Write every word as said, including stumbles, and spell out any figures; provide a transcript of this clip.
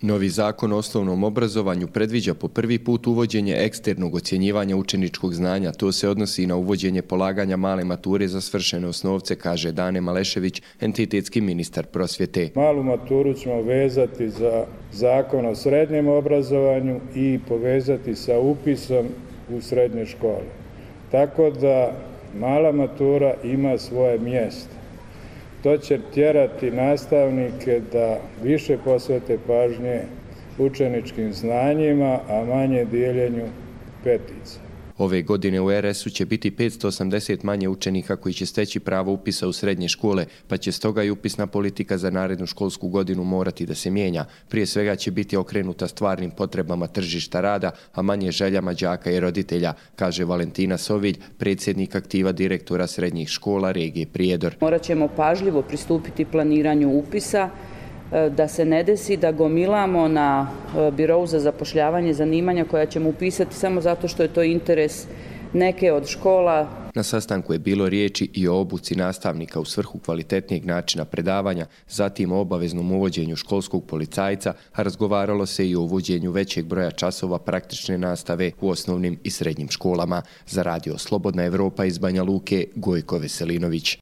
Novi zakon o osnovnom obrazovanju predviđa po prvi put uvođenje eksternog ocjenjivanja učeničkog znanja. To se odnosi na uvođenje polaganja male mature za svršene osnovce, kaže Dane Malešević, entitetski ministar prosvjete. Malu maturu ćemo vezati za zakon o srednjem obrazovanju i povezati sa upisom u srednje škole. Tako da mala matura ima svoje mjesto. To će tjerati nastavnike da više posvete pažnje učeničkim znanjima, a manje dijeljenju petica. Ove godine u er es u će biti petsto osamdeset manje učenika koji će steći pravo upisa u srednje škole, pa će stoga i upisna politika za narednu školsku godinu morati da se mijenja. Prije svega će biti okrenuta stvarnim potrebama tržišta rada, a manje željama đaka i roditelja, kaže Valentina Sovilj, predsjednik aktiva direktora srednjih škola regije Prijedor. Morat ćemo pažljivo pristupiti planiranju upisa, da se ne desi da gomilamo na birou za zapošljavanje zanimanja koja ćemo upisati samo zato što je to interes neke od škola. Na sastanku je bilo riječi i o obuci nastavnika u svrhu kvalitetnijeg načina predavanja, zatim o obaveznom uvođenju školskog policajca, a razgovaralo se i o uvođenju većeg broja časova praktične nastave u osnovnim i srednjim školama. Za radio Slobodna Evropa iz Banja Luke, Gojko Veselinović.